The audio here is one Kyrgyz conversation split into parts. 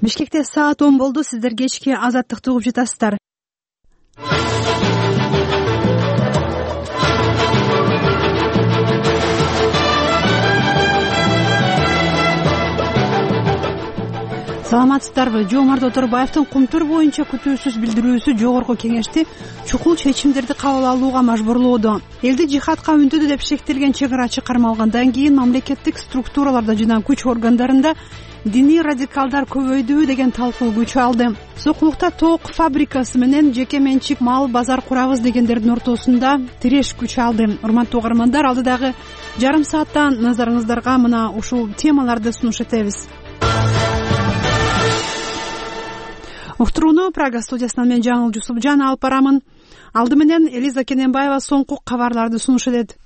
Бишкекте саат 10 болду. Сиздер кечки Азаттыкты угуп жатасыздар. Саламатсыздарбы? Жоомарт Оторбаевдин Кумтур боюнча күтүүсүз билдирүүсү жогорку кеңешти чукул чечимдерди кабыл алууга мажбурлоодо. Элди жихадка үндүдү деп шектелген чек арачы кармалгандан кийин мамлекеттик структураларда жана күч органдарында диний радикалдар көбөйдү деген талкуу күч алды. Сокулукта тоок фабрикасы менен жеке менчик мал базар курабыз дегендердин ортосунда тиреш күч алды. Урматтуу угармандар, алдыдагы жарым сааттан назарыңыздарга мына ушул темаларды сунуш этебиз. Уктурууну Прага студиясынан мен Жаңыл Жусупжан алып барамын. Алды менен Элиза Кененбаева соңку кабарларды сунуш этет.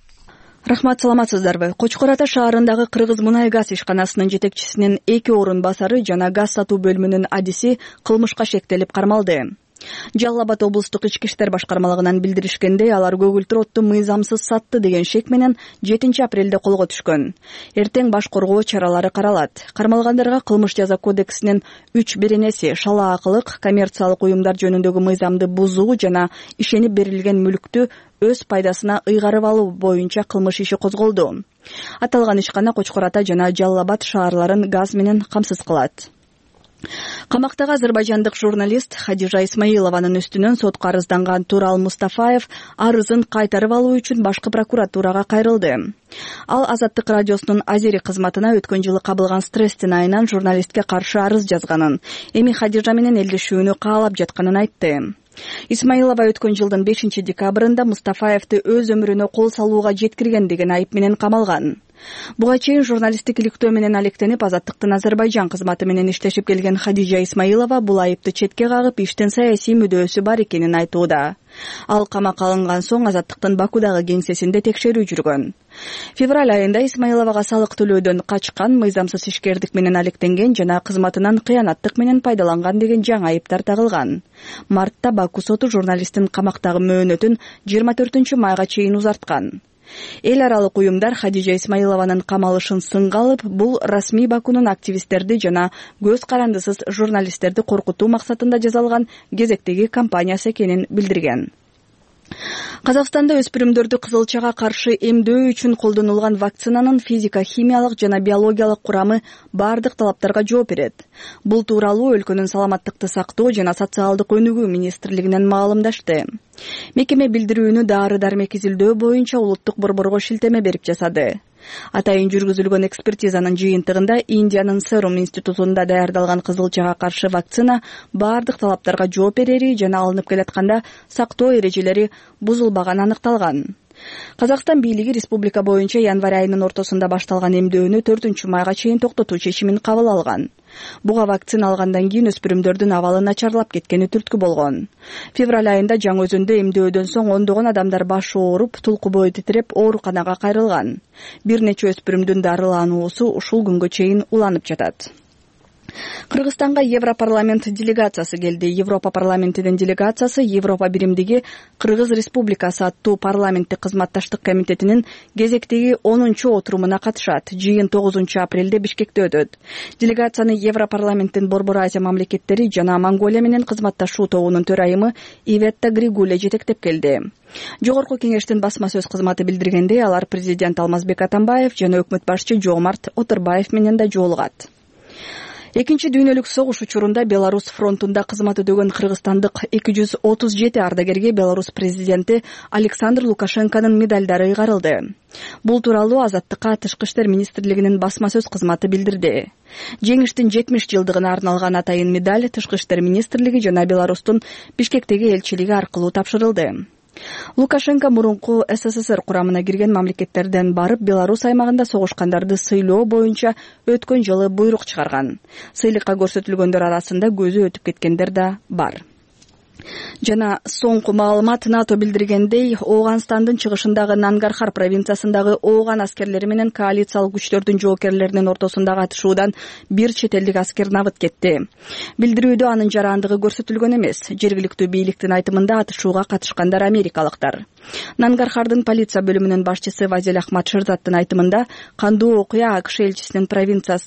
Рахмат, саламатсыздарбы? Кочкор Ата шаарындагы Кыргыз мунай газ ишканасынын жетекчисинин 2 орун басары жана газ сатуу бөлүмүнүн адиси кылмышка шектелип кармалды. Жалал Абад облустук ички иштер башкармалыгынан билдиришкендей, алар көгүлтүр отту мыйзамсыз сатты деген шек менен 7 апрелде колго түшкөн. Эртең баш коргоо чаралары каралат. Кармалгандарга кылмыш жаза кодексинин 3 беренеси шалаакылык, коммерциялык уюмдар жөнүндөгү мыйзамды бузуу жана ишенип берилген мүлктү өз пайдасына ыйгарып алуу боюнча кылмыш иши козголду. Аталган ишкана Кочкор Ата жана Жалал Абад шаарларын газ менен камсыз кылат. Камактагы азербайжандык журналист Хадижа Исмаилованын үстүнөн сотко арызданган Турал Мустафаев арызын кайтарып алуу үчүн башкы прокуратурага кайрылды. Ал Азаттык радиосунун Азери кызматына өткөн жылы кабылган стресстин айынан журналистке каршы арыз жазганын, эми Хадижа менен элдешүүнү каалап жатканын айтты. Исмаилова өткөн жылдын 5 декабрында Мустафаевди өз өмүрүнө кол салууга жеткирген деген айып менен камалган. Буга чейин журналисттик иликтөө менен алектенип, Азаттыктын Азербайжан кызматы менен иштешип келген Хадижа Исмаилова бул айыпты четке кагып, иштен саясий мүдөөсү бар экенин айтууда. Ал камакка алынган соң Азаттыктын Бакудагы кеңсесинде текшерүү жүргөн. Февраль айында Исмаиловага салык төлөөдөн качкан, мыйзамсыз ишкердик менен алектенген жана кызматынан кыянаттык менен пайдаланган деген жаңы айыптар тагылган. Мартта Баку соту журналисттин камактагы мөөнөтүн 24 майга чейин узарткан. Эл аралык уюмдар Хадижа Исмаилованын камалышын сынга алып, бул расмий Бакунун активисттерди жана көз карандысыз журналисттерди коркутуу максатында жасалган кезектеги кампаниясы экенин билдирген. Казакстанда өспүрүмдөрдү кызылчага каршы эмдөө үчүн колдонулган вакцинанын физика, химиялык жана биологиялык курамы бардык талаптарга жооп берет. Бул тууралуу өлкөнүн саламаттыкты сактоо жана социалдык өнүгүү министрлигинен маалымдашты. Мекеме билдирүүнү дары-дармек изилдөө боюнча улуттук борборго шилтеме берип жасады. Атайын жүргүзүлгөн экспертизанын жыйынтыгында Индиянын Serum институтунда даярдалган кызылчага каршы вакцина бардык талаптарга жооп берери жана алынып келатканда сактоо эрежелери бузулбаганы аныкталган. Казакстан бийлиги республика боюнча январь айынын ортосунда башталган эмдөөнү 4 майга чейин токтотуу чечимин кабыл алган. Буга вакцина алгандан кийин өспүрүмдөрдүн абалы начарлап кеткени түрткү болгон. Февраль айында Жаңы Өзөндө эмдөөдөн соң ондогон адамдар башы ооруп, тулку бою титиреп, ооруканага кайрылган. Бир нече өспүрүмдүн дарылануусу ушул күнгө чейин уланып жатат. Кыргызстанга Европарламент делегациясы келди. Европа парламентинин делегациясы Европа биримдиги Кыргыз Республикасы аттуу парламенттик кызматташтык комитетинин кезектеги 10-отурумуна катышат. Жыйын 9 апрелде Бишкекте өтөт. Делегацияны Европарламенттин Борбор Азия мамлекеттери жана Монголия менен кызматташуу тобунун төрайымы Иветта Григуле жетектеп келди. Жогорку кеңештин басма сөз кызматы билдиргендей, алар президент Алмазбек Атамбаев жана өкмөт башчы Жоомарт Оторбаев менен да жолугат. Экинчи дүйнөлүк согуш учурунда Беларусь фронтунда кызмат өтөгөн кыргызстандык 237 ардагерге Беларусь президенти Александр Лукашенконун медалдары ыйгарылды. Бул тууралуу Азаттыкка Тышкы иштер министрлигинин басма сөз кызматы билдирди. Жеңиштин 70 жылдыгына арналган атайын медаль Тышкы иштер министрлиги жана Беларустун Бишкектеги элчилиги аркылуу тапшырылды. Лукашенко мурунку СССР курамына кирген мамлекеттерден барып, Беларусь аймагында согушкандарды сыйлоо боюнча өткөн жылы буйрук чыгарган. Сыйлыкка көрсөтүлгөндөр арасында көзү өтүп кеткендер да бар. Жана соңку маалымат НАТО билдиргендей, Ооганстандын чыгышындагы Нангархар провинциясындагы Ооган аскерлери менен коалициялык күчтөрдүн жоокерлеринин ортосундагы атышуудан бир чет элдик аскер набыт кетти. Билдирүүдө анын жарандыгы көрсөтүлгөн эмес. Жергиликтүү бийликтин айтымында атышууга катышкандар америкалыктар. Нангархардын полиция бөлүмүнүн башчысы Вазиль Ахмад Шерзаттын айтымында, кандуу окуя АКШ элчисинин провинция